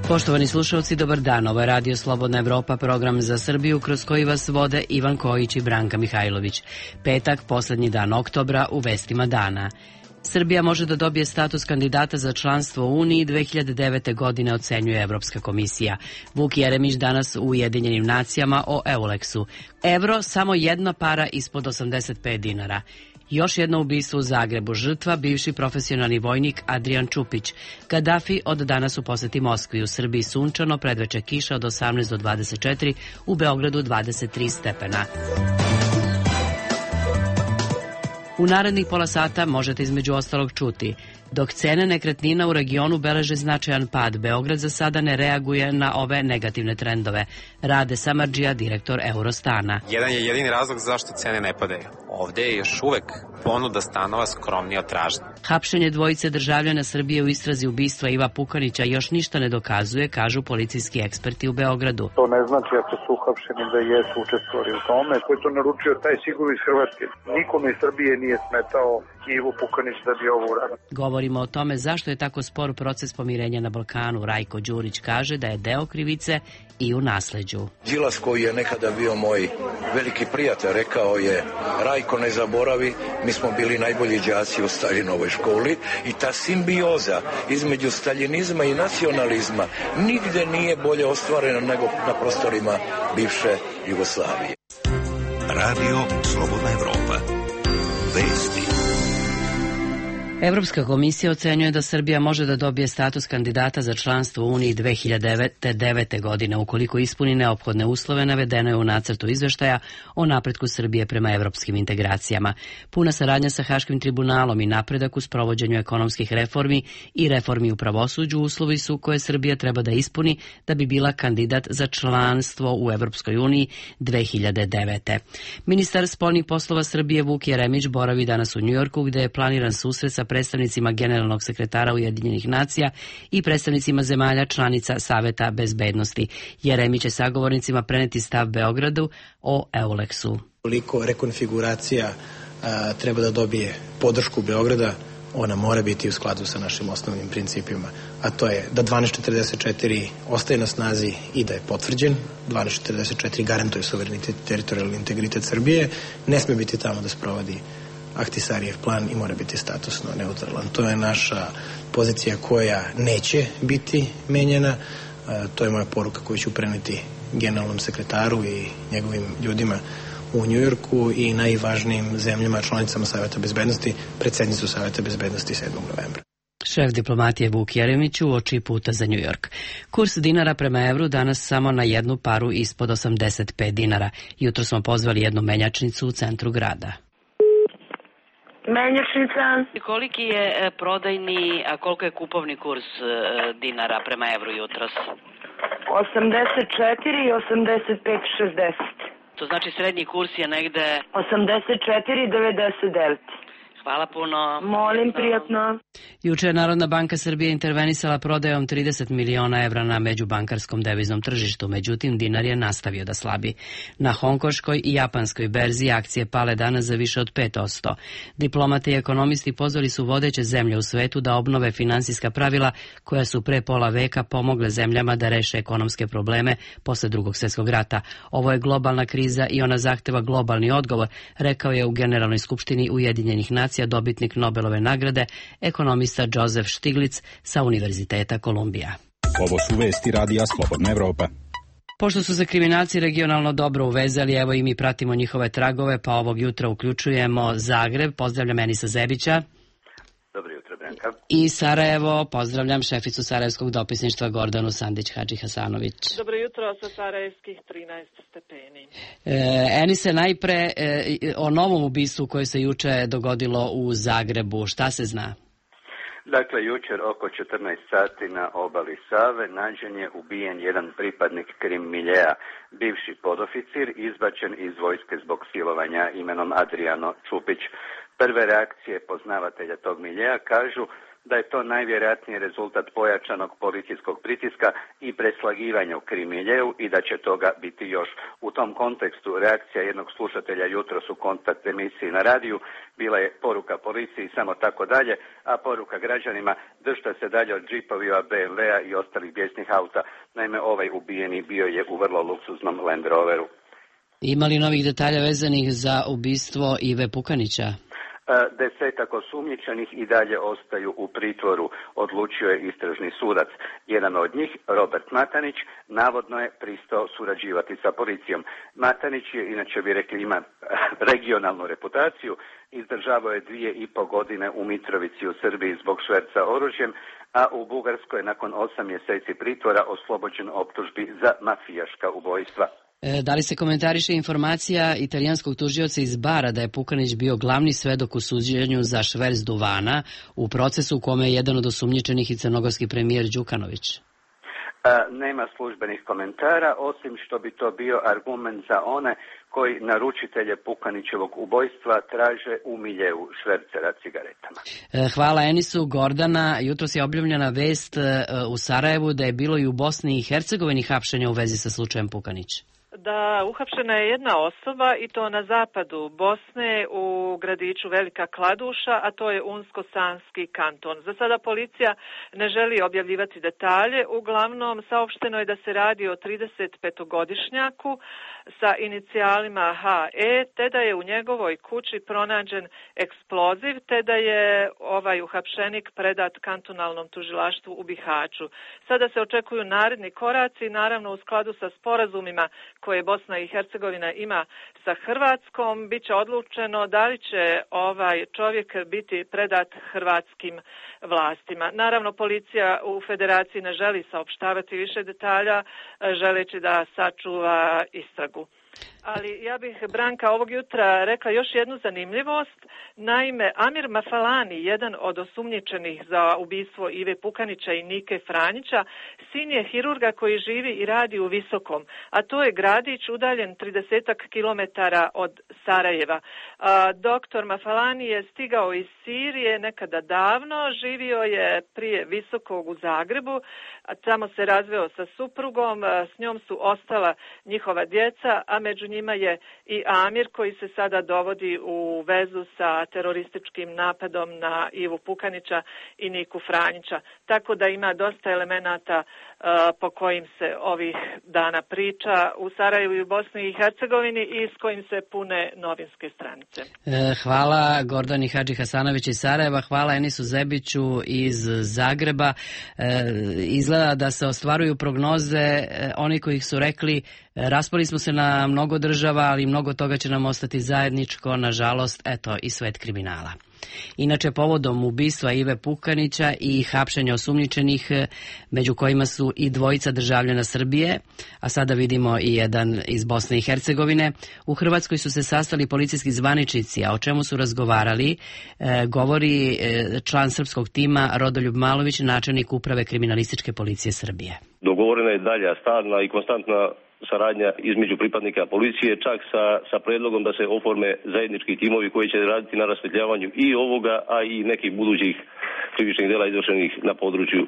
Poštovani slušalci, dobar dan. Ovo je Radio Slobodna Evropa, program za Srbiju kroz koji vas vode Ivan Kojić i Branka Mihajlović. Petak, poslednji dan oktobra, u vestima dana. Srbija može da dobije status kandidata za članstvo u Uniji 2009. godine, ocenjuje Evropska komisija. Vuk Jeremić danas u Ujedinjenim nacijama o Euleksu. Evro samo jedna para ispod 85 dinara. Još jedno ubistvo u Zagrebu. Žrtva, bivši profesionalni vojnik Adrijan Čupić. Kadafi od danas u poseti Moskvi. U Srbiji sunčano, predveče kiša od 18 do 24, u Beogradu 23 stepena. U narednih pola sata možete između ostalog čuti: dok cene nekretnina u regionu beleže značajan pad, Beograd za sada ne reaguje na ove negativne trendove. Rade Samardžija, direktor Eurostana. Jedan je jedini razlog zašto cene ne padaju. Ovde je još uvek ponuda stanova skromnija od tražnje. Hapšenje dvojice državljana Srbije u istrazi ubistva Iva Pukanića još ništa ne dokazuje, kažu policijski eksperti u Beogradu. To ne znači ako su uhapšeni da jesu učestvovali u tome. Ko je to naručio, taj sigurno iz Hrvatske. Nikome iz Srbije nije smetao Ivo Pukanić da bi ovo uradio. Govorimo o tome zašto je tako spor proces pomirenja na Balkanu. Rajko Đurić kaže da je deo krivice i u nasleđu. Đilas, koji je nekada bio moj veliki prijatelj, rekao je: Rajko, ne zaboravi, mi smo bili najbolji đaci u Staljinovoj školi, i ta simbioza između staljinizma i nacionalizma nigde nije bolje ostvarena nego na prostorima bivše Jugoslavije. Radio Slobodna Evropa. Vesti. Evropska komisija ocenjuje da Srbija može da dobije status kandidata za članstvo u Uniji 2009. godine ukoliko ispuni neophodne uslove, navedeno je u nacrtu izveštaja o napretku Srbije prema evropskim integracijama. Puna saradnja sa Haškim tribunalom i napredak u sprovođenju ekonomskih reformi i reformi u pravosuđu uslovi su koje Srbija treba da ispuni da bi bila kandidat za članstvo u Evropskoj uniji 2009. Ministar spoljnih poslova Srbije Vuk Jeremić boravi danas u Njujorku, gde je planiran susret sa predstavnicima generalnog sekretara Ujedinjenih nacija i predstavnicima zemalja članica Saveta bezbednosti. Jeremić će sagovornicima preneti stav Beogradu o Euleksu. Koliko rekonfiguracija treba da dobije podršku Beograda, ona mora biti u skladu sa našim osnovnim principima, a to je da 1244 ostaje na snazi i da je potvrđen. 1244 garantuje suverenitet i teritorijalni integritet Srbije, ne sme biti tamo da sprovodi Ahtisarijev plan i mora biti statusno neutralan. To je naša pozicija koja neće biti menjena. To je moja poruka koju ću preneti generalnom sekretaru i njegovim ljudima u Njujorku i najvažnijim zemljama članicama Saveta bezbednosti, predsednicu Saveta bezbednosti 7. novembra. Šef diplomatije Vuk Jeremić uoči puta za Njujork. Kurs dinara prema evru danas samo na jednu paru ispod 85 dinara. Jutro smo pozvali jednu menjačnicu u centru grada. Menjačnica. Koliki je prodajni, a koliko je kupovni kurs dinara prema evru jutros? 84 i 85 60. To znači srednji kurs je negde 84 99. Hvala puno. Molim, prijatno. Juče je Narodna banka Srbije intervenisala prodajom 30 miliona evra na međubankarskom deviznom tržištu, međutim dinar je nastavio da slabi. Na hongkoškoj i japanskoj berzi akcije pale danas za više od 5%. Diplomati i ekonomisti pozvali su vodeće zemlje u svetu da obnove finansijska pravila koja su pre pola veka pomogle zemljama da reše ekonomske probleme posle Drugog svjetskog rata. Ovo je globalna kriza i ona zahteva globalni odgovor, rekao je u Generalnoj skupštini Ujedinjenih nacija dobitnik Nobelove nagrade, ekonomista Joseph Stiglitz sa Univerziteta Kolumbija. Ovo su vesti Radija Slobodna Evropa. Pošto su se kriminalci regionalno dobro uvezali, evo i mi pratimo njihove tragove, pa ovog jutra uključujemo Zagreb. Pozdravljam Enisa Zebića. Dobro jutro, Branka. I Sarajevo, pozdravljam šeficu Sarajevskog dopisništva Gordanu Sandić-Hadži-Hasanović. Dobro jutro sa sarajevskih 13 stepeni. Enise, najpre o novom ubistvu koje se juče dogodilo u Zagrebu. Šta se zna? Dakle, jučer oko 14 sati na obali Save nađen je ubijen jedan pripadnik krim miljea, bivši podoficir, izbačen iz vojske zbog silovanja imenom Adriano Čupić. Prve reakcije poznavatelja tog miljea kažu da je to najvjerojatnije rezultat pojačanog policijskog pritiska i preslagivanja u Krim miljeu i da će toga biti još. U tom kontekstu reakcija jednog slušatelja jutros u kontakt emisiji na radiju bila je poruka policiji samo tako dalje, a poruka građanima držite se dalje od džipovima, BMW-a i ostalih bijesnih auta. Naime, ovaj ubijeni bio je u vrlo luksuznom Land Roveru. Ima li novih detalja vezanih za ubistvo Ive Pukanića? 10 osumnjičenih i dalje ostaju u pritvoru, odlučio je istražni sudac. Jedan od njih, Robert Matanić, navodno je pristao surađivati sa policijom. Matanić je, inače bi rekli, ima regionalnu reputaciju, izdržavao je 2,5 godine u Mitrovici u Srbiji zbog šverca oružjem, a u Bugarskoj nakon 8 mjeseci pritvora oslobođen optužbi za mafijaška ubojstva. Da li se komentariše informacija italijanskog tužioca iz Bara da je Pukanić bio glavni svedok u suđenju za šverc duvana u procesu u kome je jedan od osumnjičenih i crnogorski premijer Đukanović? Nema službenih komentara, osim što bi to bio argument za one koji naručitelje Pukanićevog ubojstva traže u miljeu švercera cigaretama. Hvala Enisu. Gordana, jutros je objavljena vest u Sarajevu da je bilo i u Bosni i Hercegovini hapšenja u vezi sa slučajem Pukanić. Da, uhapšena je jedna osoba i to na zapadu Bosne u gradiću Velika Kladuša, a to je Unsko-Sanski kanton. Za sada policija ne želi objavljivati detalje, uglavnom saopšteno je da se radi o 35-godišnjaku sa inicijalima HE, te da je u njegovoj kući pronađen eksploziv, te da je ovaj uhapšenik predat kantonalnom tužilaštvu u Bihaću. Sada se očekuju naredni koraci, naravno u skladu sa sporazumima koje Bosna i Hercegovina ima sa Hrvatskom, bit će odlučeno da li će ovaj čovjek biti predat hrvatskim vlastima. Naravno, policija u federaciji ne želi saopštavati više detalja, želeći da sačuva istragu. Ali ja bih, Branka, ovog jutra rekla još jednu zanimljivost. Naime, Amir Mafalani, jedan od osumnjičenih za ubistvo Ive Pukanića i Nike Franjića, sin je hirurga koji živi i radi u Visokom, a to je gradić udaljen 30 kilometara od Sarajeva. Doktor Mafalani je stigao iz Sirije nekada davno, živio je prije Visokog u Zagrebu, a tamo se razveo sa suprugom, s njom su ostala njihova djeca, a među njima je i Amir koji se sada dovodi u vezu sa terorističkim napadom na Ivu Pukanića i Niku Franjića. Tako da ima dosta elemenata po kojim se ovih dana priča u Sarajevu i u Bosni i Hercegovini i s kojim se pune novinske stranice. Hvala Gordani Hadži Hasanović iz Sarajeva, hvala Enisu Zebiću iz Zagreba. Izgleda da se ostvaruju prognoze oni koji su rekli raspali smo se na mnogo država, ali mnogo toga će nam ostati zajedničko, nažalost, eto i svet kriminala. Inače, povodom ubistva Ive Pukanića i hapšenja osumnjičenih, među kojima su i dvojica državljana Srbije, a sada vidimo i jedan iz Bosne i Hercegovine, u Hrvatskoj su se sastali policijski zvaničnici, a o čemu su razgovarali, govori član srpskog tima Rodoljub Malović, načelnik uprave kriminalističke policije Srbije. Dogovorena je dalja, stalna i konstantna saradnja između pripadnika policije, čak sa predlogom da se oforme zajednički timovi koji će raditi na rasvetljavanju i ovoga, a i nekih budućih krivičnih dela izvršenih na području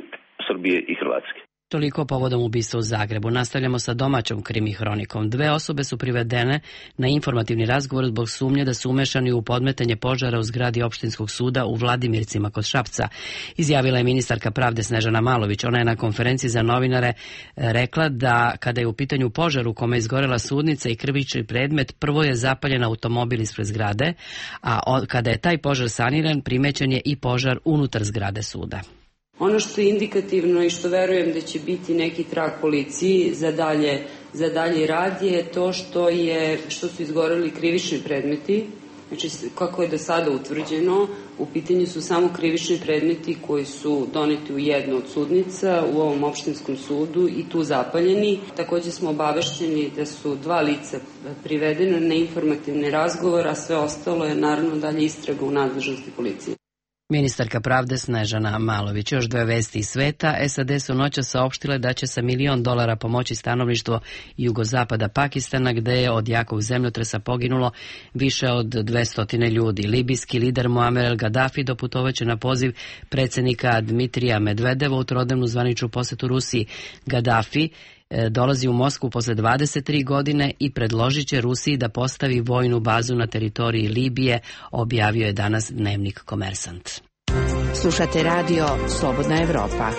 Srbije i Hrvatske. Toliko povodom ubistva u Zagrebu. Nastavljamo sa domaćom krimi hronikom. 2 osobe su privedene na informativni razgovor zbog sumnje da su umešani u podmetanje požara u zgradi opštinskog suda u Vladimircima kod Šapca. Izjavila je ministarka pravde Snežana Malović. Ona je na konferenciji za novinare rekla da kada je u pitanju požar u kome je izgorela sudnica i krivični predmet, prvo je zapaljen automobil ispred zgrade, a kada je taj požar saniran, primećen je i požar unutar zgrade suda. Ono što je indikativno i što verujem da će biti neki trag policiji za dalje rad je to što su izgoreli krivični predmeti. Znači, kako je do sada utvrđeno, u pitanju su samo krivični predmeti koji su doneti u jednu od sudnica u ovom opštinskom sudu i tu zapaljeni. Također smo obavešteni da su 2 lica privedene na informativni razgovor, a sve ostalo je naravno dalje istraga u nadležnosti policije. Ministarka pravde Snežana Malović. Još dve vesti iz sveta. SAD su noćas saopštile da će sa $1 milion pomoći stanovništvo jugozapada Pakistana, gde je od jakog zemljotresa poginulo više od 200 ljudi. Libijski lider Muamer el Gaddafi doputovaće na poziv predsjednika Dmitrija Medvedeva u trodnevnu zvaničnu posetu Rusiji. Gaddafi dolazi u Moskvu posle 23 godine i predložit će Rusiji da postavi vojnu bazu na teritoriji Libije, objavio je danas dnevnik Komersant. Slušate radio Slobodna Evropa.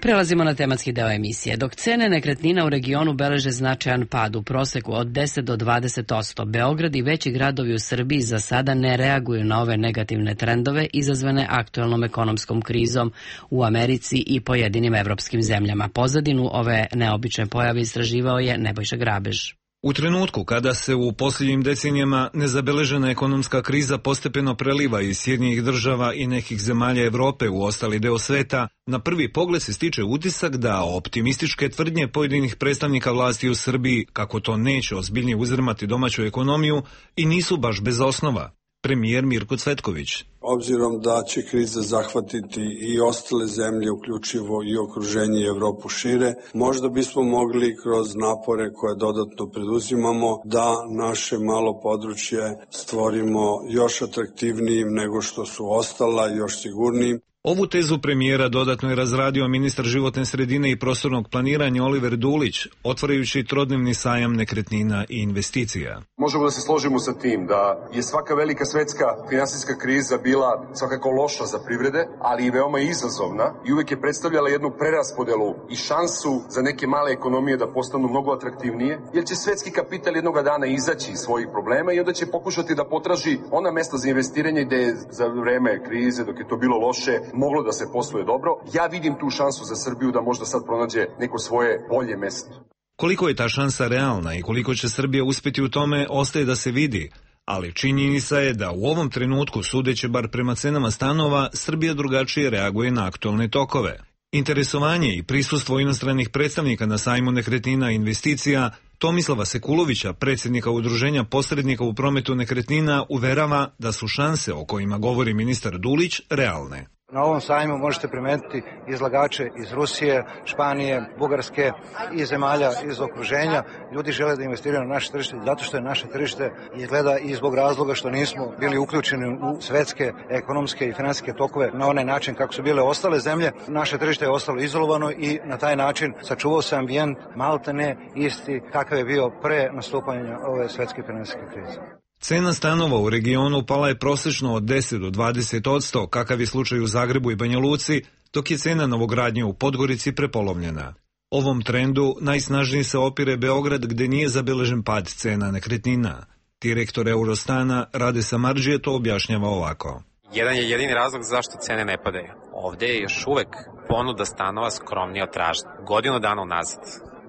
Prelazimo na tematski deo emisije. Dok cene nekretnina u regionu beleže značajan pad u proseku od 10 do 20%, Beograd i veći gradovi u Srbiji za sada ne reaguju na ove negativne trendove izazvane aktuelnom ekonomskom krizom u Americi i pojedinim evropskim zemljama. Pozadinu ove neobične pojave istraživao je Nebojša Grabež. U trenutku kada se u posljednjim decenijama nezabeležena ekonomska kriza postepeno preliva iz Sjedinjenih država i nekih zemalja Evrope u ostali deo sveta, na prvi pogled se stiče utisak da optimističke tvrdnje pojedinih predstavnika vlasti u Srbiji kako to neće ozbiljnije uzdrmati domaću ekonomiju i nisu baš bez osnova. Premijer Mirko Cvetković. Obzirom da će kriza zahvatiti i ostale zemlje, uključivo i okruženje i Evropu šire, možda bismo mogli kroz napore koje dodatno preduzimamo da naše malo područje stvorimo još atraktivnijim nego što su ostala, još sigurnijim. Ovu tezu premijera dodatno je razradio ministar životne sredine i prostornog planiranja Oliver Dulić, otvarajući trodnevni sajam nekretnina i investicija. Možemo da se složimo sa tim da je svaka velika svetska finansijska kriza bila svakako loša za privrede, ali i veoma izazovna i uvek je predstavljala jednu preraspodelu i šansu za neke male ekonomije da postanu mnogo atraktivnije, jer će svetski kapital jednoga dana izaći iz svojih problema i onda će pokušati da potraži ona mesta za investiranje gde je za vreme krize, dok je to bilo loše, moglo da se posluje dobro. Ja vidim tu šansu za Srbiju da možda sad pronađe neko svoje bolje mesto. Koliko je ta šansa realna i koliko će Srbija uspjeti u tome ostaje da se vidi, ali činjenica je da u ovom trenutku, sudeći bar prema cenama stanova, Srbija drugačije reaguje na aktualne tokove. Interesovanje i prisustvo inostranih predstavnika na sajmu nekretnina i investicija Tomislava Sekulovića, predsjednika Udruženja posrednika u prometu nekretnina, uverava da su šanse o kojima govori ministar Dulić realne. Na ovom sajmu možete primetiti izlagače iz Rusije, Španije, Bugarske i zemalja iz okruženja. Ljudi žele da investiraju na naše tržište zato što je naše tržište izgleda i zbog razloga što nismo bili uključeni u svetske ekonomske i finansijske tokove na onaj način kako su bile ostale zemlje. Naše tržište je ostalo izolovano i na taj način sačuvao se ambijent maltene isti kakav je bio pre nastupanja ove svetske finansijske krize. Cena stanova u regionu pala je prosečno od 10 do 20%, kakav je slučaj u Zagrebu i Banja Luci, dok je cena novogradnje u Podgorici prepolovljena. Ovom trendu najsnažnije se opire Beograd, gde nije zabeležen pad cena nekretnina. Direktor Eurostana Rade Samardžije to objašnjava ovako. Jedan je jedini razlog zašto cene ne padaju. Ovde je još uvek ponuda stanova skromnija od tražnje. Godinu dana unazad,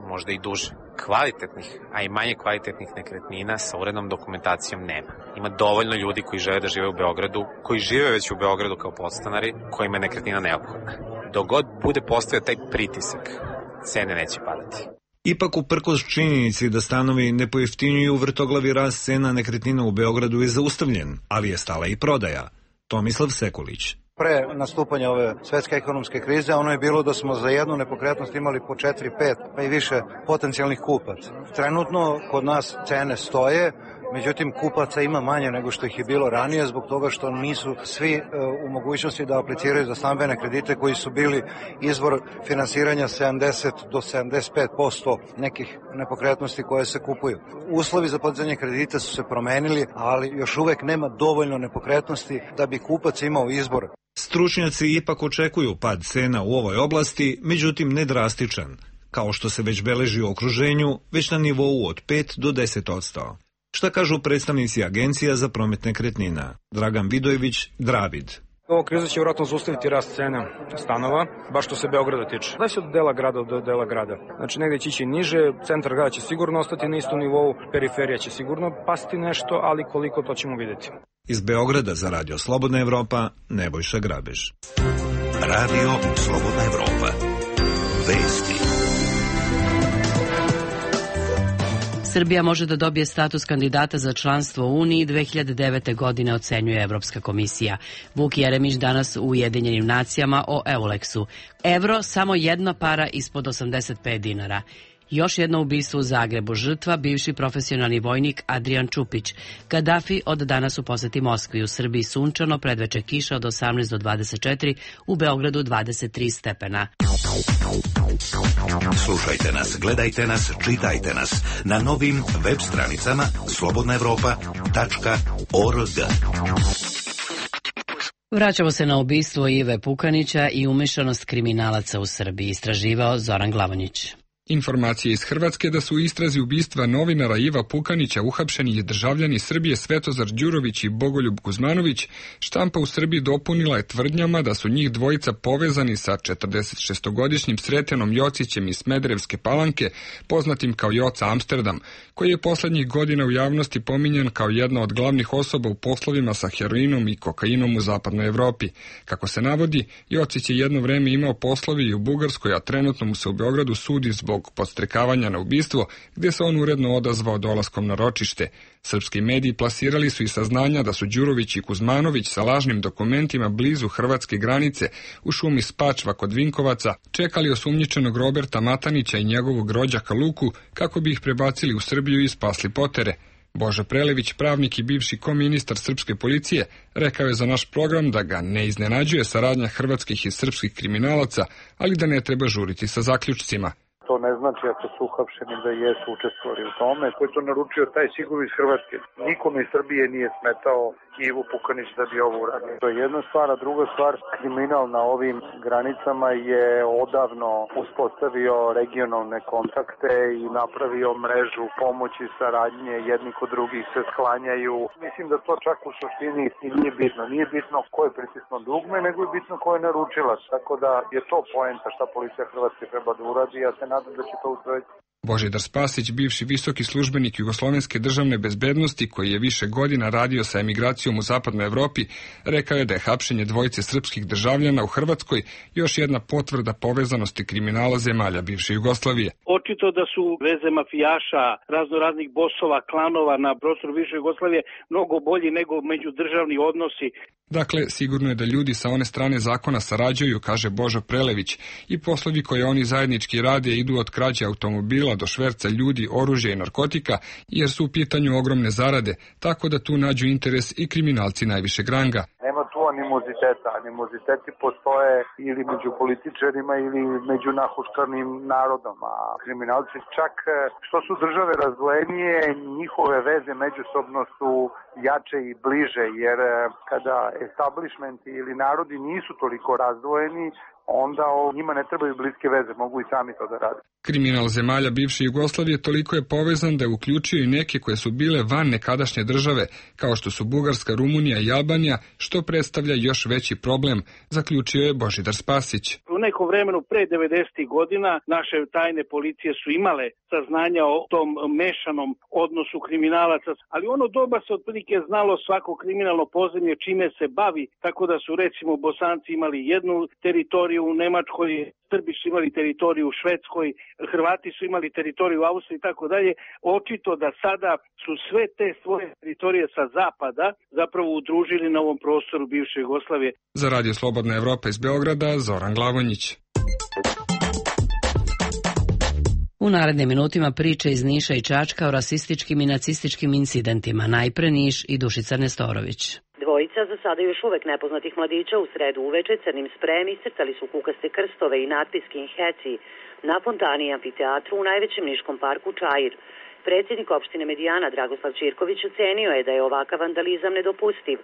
možda i duže. Kvalitetnih, a i manje kvalitetnih nekretnina sa urednom dokumentacijom nema. Ima dovoljno ljudi koji žele da žive u Beogradu, koji žive već u Beogradu kao podstanari, kojima je nekretnina neophodna. Dok god bude postojao taj pritisak, cene neće padati. Ipak, uprkos činjenici da stanovi ne pojeftinjuju, vrtoglavi rast cena nekretnina u Beogradu je zaustavljen, ali je stala i prodaja. Tomislav Sekulić. Pre nastupanja ove svetske ekonomske krize ono je bilo da smo za jednu nepokretnost imali po 4, 5 pa i više potencijalnih kupaca. Trenutno kod nas cene stoje, međutim kupaca ima manje nego što ih je bilo ranije zbog toga što nisu svi u mogućnosti da apliciraju za stambene kredite koji su bili izvor finansiranja 70 do 75% nekih nepokretnosti koje se kupuju. Uslovi za podizanje kredita su se promenili, ali još uvek nema dovoljno nepokretnosti da bi kupac imao izbor. Stručnjaci ipak očekuju pad cena u ovoj oblasti, međutim ne drastičan, kao što se već beleži u okruženju, već na nivou od 5 do 10%. Šta kažu predstavnici Agencija za promet nekretnina? Dragan Vidojević, Dravid. Ova kriza će vjerojatno zaustaviti rast cena stanova, baš što se Beograda tiče. Da se od dela grada do dela grada. Znači negdje će ići niže, centar grada će sigurno ostati na istom nivou, periferija će sigurno pasti nešto, ali koliko to ćemo vidjeti. Iz Beograda za Radio Slobodna Evropa, Nebojša Grabež. Radio Slobodna Evropa. Vesti. Srbija može da dobije status kandidata za članstvo u Uniji 2009. godine, ocenjuje Evropska komisija. Vuk Jeremić danas u Ujedinjenim nacijama o Euleksu. Evro samo jedna para ispod 85 dinara. Još jedno ubistvo u Zagrebu. Žrtva, bivši profesionalni vojnik Adrian Čupić. Kadafi od danas u poseti Moskvi. U Srbiji sunčano, predveče kiša od 18 do 24, u Beogradu 23 stepena. Slušajte nas, gledajte nas, čitajte nas na novim web stranicama slobodnaevropa.org. Vraćamo se na ubistvo Ive Pukanića i umešanost kriminalaca u Srbiji, istraživao Zoran Glavonjić. Informacije iz Hrvatske da su u istrazi ubistva novinara Iva Pukanića uhapšeni državljani Srbije Svetozar Đurović i Bogoljub Kuzmanović, štampa u Srbiji dopunila je tvrdnjama da su njih dvojica povezani sa 46-godišnjim Sretenom Jocićem iz Smederevske Palanke, poznatim kao Joca Amsterdam, koji je poslednjih godina u javnosti pominjan kao jedna od glavnih osoba u poslovima sa heroinom i kokainom u zapadnoj Evropi. Kako se navodi, Jocić je jedno vreme imao poslovi i u Bugarskoj, a trenutno mu se u Beogradu sudi zbog podstrekavanja na ubistvo, gdje se on uredno odazvao dolaskom na ročište. Srpski mediji plasirali su i saznanja da su Đurović i Kuzmanović sa lažnim dokumentima blizu hrvatske granice u šumi Spačva kod Vinkovaca čekali osumnjičenog Roberta Matanića i njegovog rođaka Luku kako bi ih prebacili u Srbiju i spasli potere. Božo Prelević, pravnik i bivši koministar srpske policije, rekao je za naš program da ga ne iznenađuje saradnja hrvatskih i srpskih kriminalaca, ali da ne treba žuriti sa zaključcima. To ne znači ako su uhapšeni da jesu učestvovali u tome. Ko je to naručio, taj sigurno iz Hrvatske. Nikome iz Srbije nije smetao Ivo Pukanić da bi ovo uradio. To je jedna stvar, a druga stvar, kriminal na ovim granicama je odavno uspostavio regionalne kontakte i napravio mrežu pomoći, saradnje, jedni kod drugih se sklanjaju. Mislim da to čak u suštini nije bitno. Nije bitno ko je pritisno dugme, nego je bitno ko je naručilac. Tako da je to poenta šta policija Hrvatske treba da uradi, ja se nadam da će to usvojiti. Božidar Spasić, bivši visoki službenik Jugoslovenske državne bezbednosti, koji je više godina radio sa emigracijom u zapadnoj Evropi, rekao je da je hapšenje dvojice srpskih državljana u Hrvatskoj još jedna potvrda povezanosti kriminala zemalja bivše Jugoslavije. Očito da su veze mafijaša, raznoraznih bosova, klanova na prostoru bivše Jugoslavije mnogo bolji nego međudržavni odnosi. Dakle, sigurno je da ljudi sa one strane zakona sarađuju, kaže Božo Prelević, i poslovi koje oni zajednički rade idu od krađe automobila do šverca ljudi, oružja i narkotika, jer su u pitanju ogromne zarade, tako da tu nađu interes i kriminalci najvišeg ranga. Nema tu animoziteta. Animoziteti postoje ili među političarima ili među nahuškanim narodom, a kriminalci čak što su države razdvojenije, njihove veze međusobno su jače i bliže, jer kada establishmenti ili narodi nisu toliko razdvojeni, onda njima ne trebaju bliske veze, mogu i sami to da rade. Kriminal zemalja bivše Jugoslavije toliko je povezan da je uključio i neke koje su bile van nekadašnje države, kao što su Bugarska, Rumunija i Albanija, što predstavlja još veći problem, zaključio je Božidar Spasić. U nekom vremenu pre 90. godina naše tajne policije su imale saznanja o tom mešanom odnosu kriminalaca, ali ono doba se otprilike znalo svako kriminalno podzemlje čime se bavi, tako da su recimo Bosanci imali jednu teritoriju u Nemačkoj, Srbi su imali teritoriju u Švedskoj, Hrvati su imali teritoriju u Austriji i tako dalje. Očito da sada su sve te svoje teritorije sa zapada zapravo udružili na ovom prostoru bivše Jugoslavije. Za Radio Slobodna Evropa iz Beograda, Zoran Glavonjić. U narednim minutima priče iz Niša i Čačka o rasističkim i nacističkim incidentima. Najpre Niš i Dušica Nestorović. Dvojica za sada još uvek nepoznatih mladića u sredu uveče crnim sprem iscrtali su kukaste krstove i natpis Skinheads na fontani i amfiteatru u najvećem niškom parku Čair. Predsjednik opštine Medijana Dragoslav Ćirković ocenio je da je ovakav vandalizam nedopustiv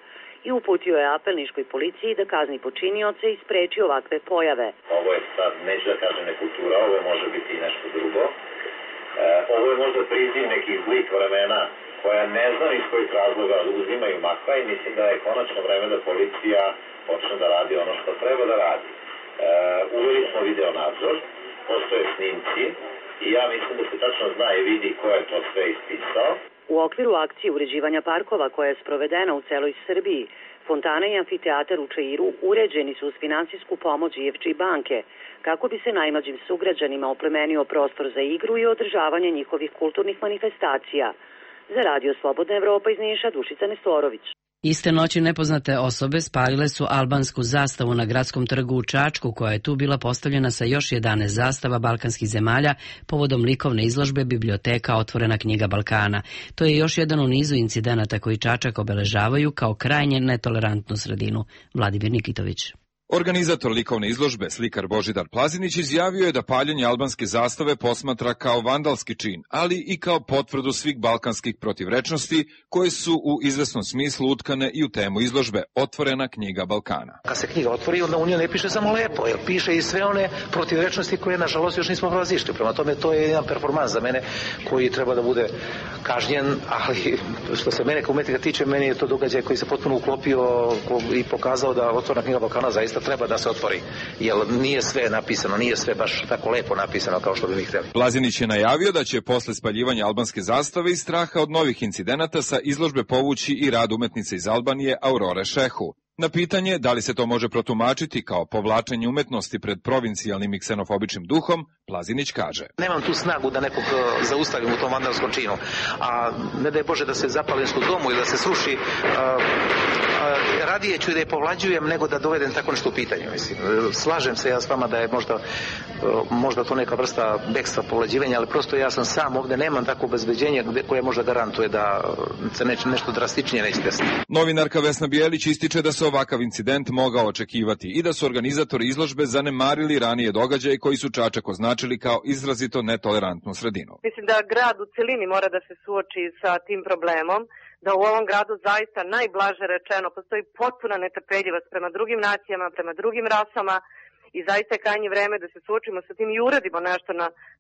i uputio je apel niškoj policiji da kazni počinioce i spreči ovakve pojave. Ovo je sad, neću da kažem nekultura, ovo može biti i nešto drugo. Ovo je možda priziv nekih zlih vremena koja ne znam iz kojih razloga uzimaju makva i mislim da je konačno vreme da policija počne da radi ono što treba da radi. Uveli smo video nadzor, postoje snimci i ja mislim da se tačno zna i vidi ko je to sve ispisao. U okviru akcije uređivanja parkova koja je sprovedena u celoj Srbiji, fontana i amfiteatar u Čairu uređeni su uz finansijsku pomoć IFG banke, kako bi se najmlađim sugrađanima oplemenio prostor za igru i održavanje njihovih kulturnih manifestacija. Za Radio Slobodna Evropa iz Niša, Dušica Nestorović. Iste noći nepoznate osobe spalile su albansku zastavu na gradskom trgu u Čačku, koja je tu bila postavljena sa još 11 zastava balkanskih zemalja povodom likovne izložbe Biblioteka Otvorena knjiga Balkana. To je još jedan u nizu incidenata koji Čačak obeležavaju kao krajnje netolerantnu sredinu. Vladimir Nikitović. Organizator likovne izložbe, slikar Božidar Plazinić, izjavio je da paljenje albanske zastave posmatra kao vandalski čin, ali i kao potvrdu svih balkanskih protivrečnosti koje su u izvesnom smislu utkane i u temu izložbe Otvorena knjiga Balkana. Kad se knjiga otvori, onda u njoj ne piše samo lepo, jer piše i sve one protivrečnosti koje, nažalost, još nismo prevazišli. Prema tome, to je jedan performans za mene koji treba da bude kažnjen, ali što se mene kao umetnika tiče, meni je to događaj koji se potpuno uklopio i pokazao da Otvorena knjiga Balkana zaista treba da se otvori, jer nije sve napisano, nije sve baš tako lepo napisano kao što bi mi hteli. Plazinić je najavio da će posle spaljivanja albanske zastave i straha od novih incidenata sa izložbe povući i rad umetnice iz Albanije Aurore Šehu. Na pitanje da li se to može protumačiti kao povlačenje umetnosti pred provincijalnim i ksenofobičnim duhom, Plazinić kaže: Nemam tu snagu da nekog zaustavim u tom vandalskom činu, a ne daj Bože da se zapali u domu ili da se sruši, radije ću da je povlađujem nego da dovedem tako nešto u pitanju. Mislim. Slažem se ja s vama da je možda to neka vrsta bekstva povlađivanja, ali prosto ja sam sam ovde, nemam tako obezbeđenje koje možda garantuje da se nešto drastičnije neće desiti. Novinarka Vesna Bijelić ističe da se ovakav incident mogao očekivati i da su organizatori izložbe zanemarili ranije događaje koji su Čačak označili kao izrazito netolerantnu sredinu. Mislim da grad u celini mora da se suoči sa tim problemom, da u ovom gradu zaista najblaže rečeno postoji potpuna netrpeljivost prema drugim nacijama, prema drugim rasama i zaista je krajnje vreme da se suočimo sa tim i uradimo nešto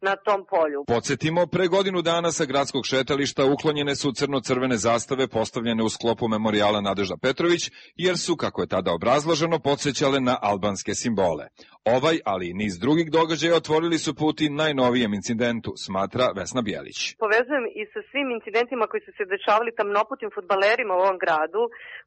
na tom polju. Podsjetimo, pre godinu dana sa gradskog šetališta uklonjene su crno-crvene zastave postavljene u sklopu memorijala Nadežda Petrović, jer su, kako je tada obrazloženo, podsjećale na albanske simbole. Ovaj, ali i niz drugih događaja otvorili su put i najnovijem incidentu, smatra Vesna Bijelić. Povezujem i sa svim incidentima koji su se dešavali tamnoputim fudbalerima u ovom gradu,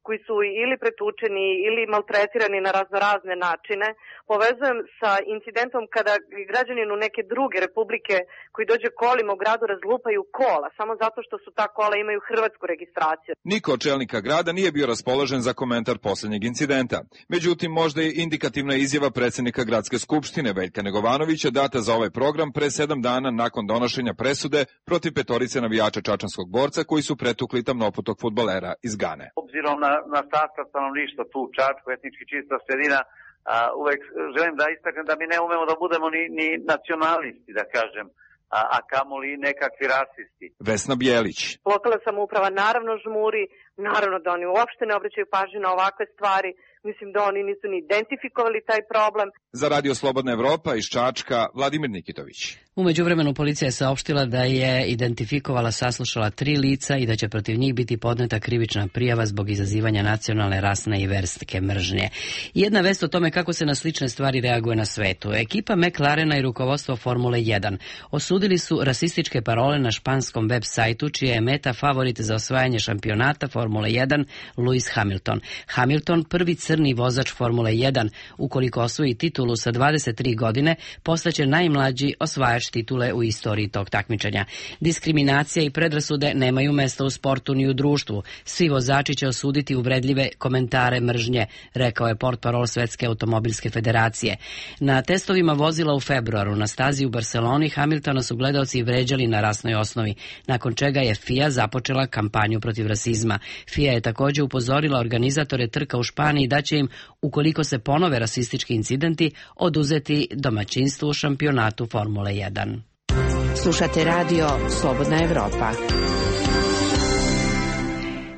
koji su ili pretučeni ili maltretirani na raznorazne načine. Povezujem sa incidentom kada građaninu neke druge republike koji dođe kolima u gradu razlupaju kola, samo zato što su ta kola imaju hrvatsku registraciju. Niko od čelnika grada nije bio raspoložen za komentar poslednjeg incidenta. Međutim, možda je indikativna izjava predsednika Gradske skupštine Veljka Negovanovića data za ovaj program pre 7 dana nakon donošenja presude protiv 5 navijača čačanskog borca koji su pretukli tamnoputog fudbalera iz Gane. Obzirom na sastav stanovništva tu u Čačku, etnički čista sredina, uvek želim da istaknem da mi ne umemo da budemo ni nacionalisti, da kažem, a kamoli nekakvi rasisti. Vesna Bijelić. Lokalna samouprava naravno žmuri, naravno da oni uopšte ne obraćaju pažnju na ovakve stvari, mislim da oni nisu ni identifikovali taj problem. Za Radio Slobodna Evropa iz Čačka, Vladimir Nikitović. U međuvremenu policija je saopštila da je identifikovala, saslušala 3 lica i da će protiv njih biti podneta krivična prijava zbog izazivanja nacionalne, rasne i verske mržnje. Jedna vest o tome kako se na slične stvari reaguje na svetu. Ekipa McLarena i rukovodstvo Formule 1 osudili su rasističke parole na španskom web sajtu, čija je meta favorit za osvajanje šampionata Formule 1 Lewis Hamilton. Hamilton, prvi crni vozač Formule 1, ukoliko osvoji titulu sa 23 godine, postaće najmlađi osvajač titule u istoriji tog takmičenja. Diskriminacija i predrasude nemaju mesta u sportu ni u društvu. Svi vozači će osuditi uvredljive komentare mržnje, rekao je portparol Svetske automobilske federacije. Na testovima vozila u februaru na stazi u Barceloni Hamiltona su gledaoci vređali na rasnoj osnovi, nakon čega je FIA započela kampanju protiv rasizma. FIA je također upozorila organizatore trka u Španiji da će im, ukoliko se ponove rasistički incidenti, oduzeti domaćinstvo u šampionatu Formule 1. Slušate radio Slobodna Evropa.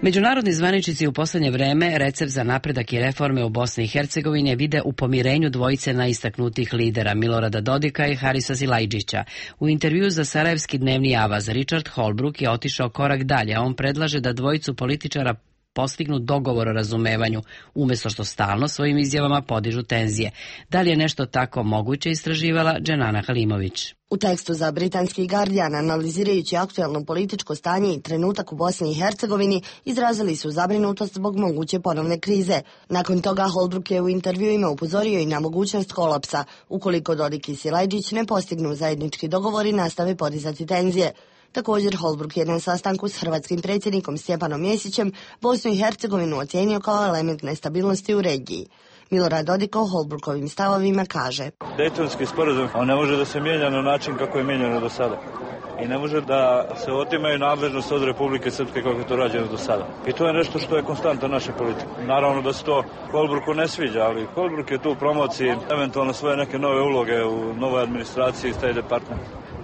Međunarodni zvaničnici u poslednje vreme recept za napredak i reforme u Bosni i Hercegovini vide u pomirenju dvojice najistaknutijih lidera Milorada Dodika i Harisa Silajđića. U intervju za Sarajevski dnevni avaz Richard Holbrooke je otišao korak dalje, a on predlaže da dvojicu političara postignu dogovor o razumevanju, umesto što stalno svojim izjavama podižu tenzije. Da li je nešto tako moguće, istraživala Dženana Halimović. U tekstu za britanski Guardian, analizirajući aktuelno političko stanje i trenutak u Bosni i Hercegovini, izrazili su zabrinutost zbog moguće ponovne krize. Nakon toga Holbrooke je u intervjuima upozorio i na mogućnost kolapsa, ukoliko Dodik i Silajđić ne postignu zajednički dogovor i nastave podizati tenzije. Također, Holbrooke je na sastanku s hrvatskim predsjednikom Stjepanom Mesićem Bosnu i Hercegovinu ocijenio kao element nestabilnosti u regiji. Milorad Dodik o Holbrookovim stavovima kaže: Dejtonski sporazum, on ne može da se mijenja na način kako je mijenjano do sada. I ne može da se otimaju nadležnost od Republike Srpske kako je to rađeno do sada. I to je nešto što je konstanta naše politike. Naravno da se to Holbrooku ne sviđa, ali Holbrooke je tu u promociji eventualno svoje neke nove uloge u novoj administraciji State Department.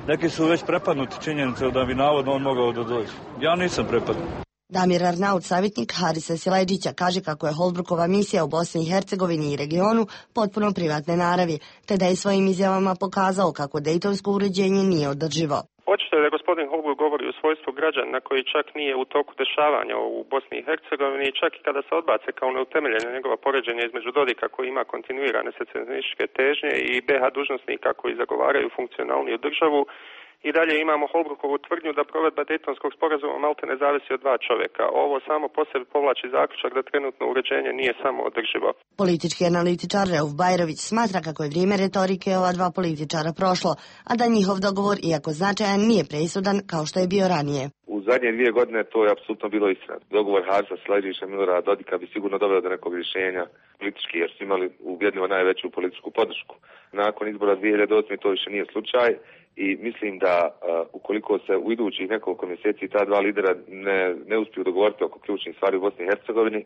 Neki su već prepadnuti činjenice da bi navodno on mogao da dođe. Ja nisam prepadnut. Damir Arnaut, savjetnik Harisa Silajđića, kaže kako je Holbrookova misija u Bosni i Hercegovini i regionu potpuno privatne naravi, te da je svojim izjavama pokazao kako dejtonsko uređenje nije održivo. Očito je da gospodin Holbrook govori u svojstvu građana koji čak nije u toku dešavanja u Bosni i Hercegovini, čak i kada se odbace kao neutemeljeno njegova poređenja između Dodika koji ima kontinuirane secesionističke težnje i BH dužnosnika koji zagovaraju funkcionalniju državu. I dalje imamo Holbrookovu tvrdnju da provedba Dejtonskog sporazuma malte ne zavisi od dva čovjeka. Ovo samo po sebi povlači zaključak da trenutno uređenje nije samo održivo. Politički analitičar Rauf Bajrović smatra kako je vrijeme retorike ova dva političara prošlo, a da njihov dogovor, iako značajan, nije presudan kao što je bio ranije. U zadnje 2 godine to je apsolutno bilo istina. Dogovor Harisa Silajđića i Milorada Dodika bi sigurno doveo do nekog rješenja politički, jer su imali ubjedljivo najveću političku podršku. Nakon izbora 2008. to više nije slučaj. I mislim da ukoliko se u idućih nekoliko mjeseci ta dva lidera ne uspiju dogovoriti oko ključnih stvari u Bosni i Hercegovini,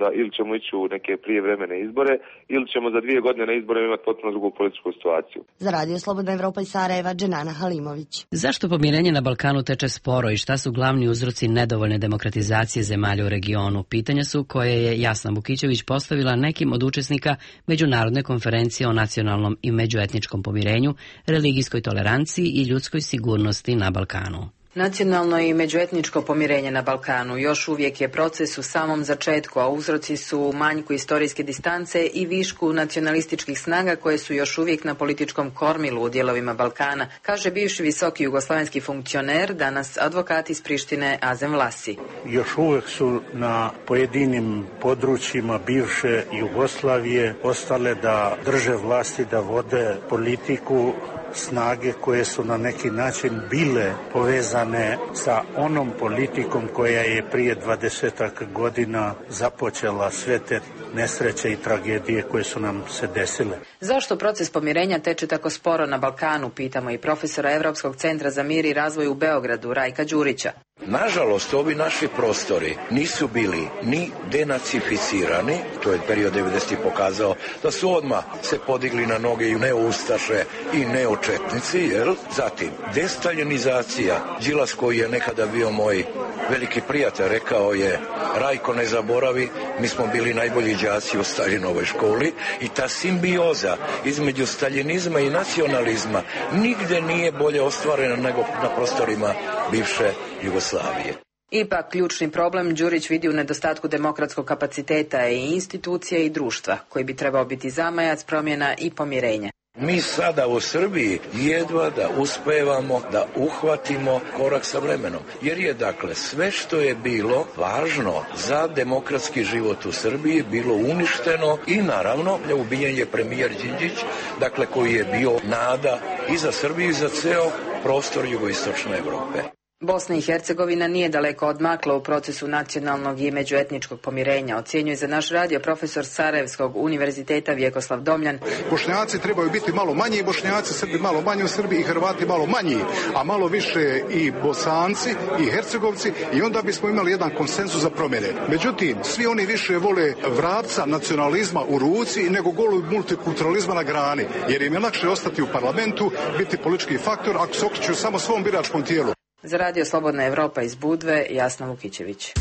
da ili ćemo ići u neke prijevremene izbore, ili ćemo za 2 godine na izborima imati potpuno drugu političku situaciju. Za Radio Slobodna Evropa iz Sarajeva, Dženana Halimović. Zašto pomirenje na Balkanu teče sporo i šta su glavni uzroci nedovoljne demokratizacije zemalja u regionu? Pitanja su koje je Jasna Vukićević postavila nekim od učesnika Međunarodne konferencije o nacionalnom i međuetničkom pomirenju, religijskoj toleranciji i ljudskoj sigurnosti na Balkanu. Nacionalno i međuetničko pomirenje na Balkanu još uvijek je proces u samom začetku, a uzroci su u manjku istorijske distance i višku nacionalističkih snaga koje su još uvijek na političkom kormilu u dijelovima Balkana, kaže bivši visoki jugoslavenski funkcioner, danas advokat iz Prištine Azem Vlasi. Još uvijek su na pojedinim područjima bivše Jugoslavije ostale da drže vlasti, da vode politiku snage koje su na neki način bile povezane sa onom politikom koja je prije 20 godina započela sve te nesreće i tragedije koje su nam se desile. Zašto proces pomirenja teče tako sporo na Balkanu, pitamo i profesora Europskog centra za mir i razvoj u Beogradu, Rajka Đurića. Nažalost, ovi naši prostori nisu bili ni denacificirani, to je period 90. pokazao da su odmah se podigli na noge i neoustaše i neočetnici, jel? Zatim, destaljinizacija, Đilas koji je nekada bio moj veliki prijatelj, rekao je: Rajko, ne zaboravi, mi smo bili najbolji đaci u Staljinovoj školi, i ta simbioza između staljinizma i nacionalizma nigde nije bolje ostvarena nego na prostorima bivše Jugoslavije. Ipak, ključni problem Đurić vidi u nedostatku demokratskog kapaciteta i institucije i društva, koji bi trebao biti zamajac promjena i pomirenja. Mi sada u Srbiji jedva da uspevamo da uhvatimo korak sa vremenom, jer je dakle sve što je bilo važno za demokratski život u Srbiji bilo uništeno i naravno ubijen je premijer Đinđić, dakle koji je bio nada i za Srbiju i za ceo prostor jugoistočne Evrope. Bosna i Hercegovina nije daleko odmakla u procesu nacionalnog i međuetničkog pomirenja, ocjenjuje za naš radio profesor Sarajevskog univerziteta Vjekoslav Domljan. Bošnjaci trebaju biti malo manji Bošnjaci, Srbi malo manji u Srbiji i Hrvati malo manji, a malo više i Bosanci i Hercegovci, i onda bismo imali jedan konsenzus za promjene. Međutim, svi oni više vole vrapca nacionalizma u ruci nego golub multikulturalizma na grani, jer im je lakše ostati u parlamentu, biti politički faktor ako se okreću samo svom biračkom tijelu. Za Radio Slobodna Evropa iz Budve, Jasna Vukićević.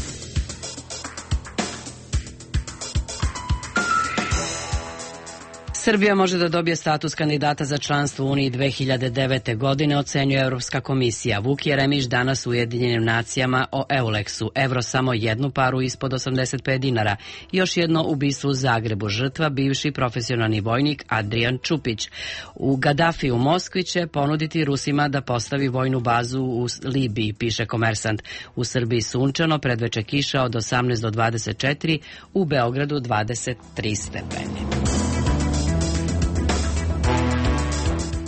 Srbija može da dobije status kandidata za članstvo u Uniji 2009. godine, ocenjuje Evropska komisija. Vuk Jeremić danas u Ujedinjenim nacijama o Euleksu. Evro samo jednu paru ispod 85 dinara. Još jedno ubistvo u Zagrebu. Žrtva bivši profesionalni vojnik Adrian Čupić. U Gaddafi u Moskvi će ponuditi Rusima da postavi vojnu bazu u Libiji, piše Komersant. U Srbiji sunčano, predveče kiša od 18 do 24, u Beogradu 23 stepeni.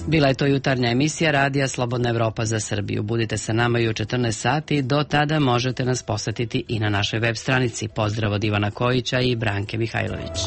Bila je to jutarnja emisija Radija Slobodna Evropa za Srbiju. Budite sa nama i u 14 sati. Do tada možete nas posetiti i na našoj web stranici. Pozdrav od Ivana Kojića i Branke Mihajlović.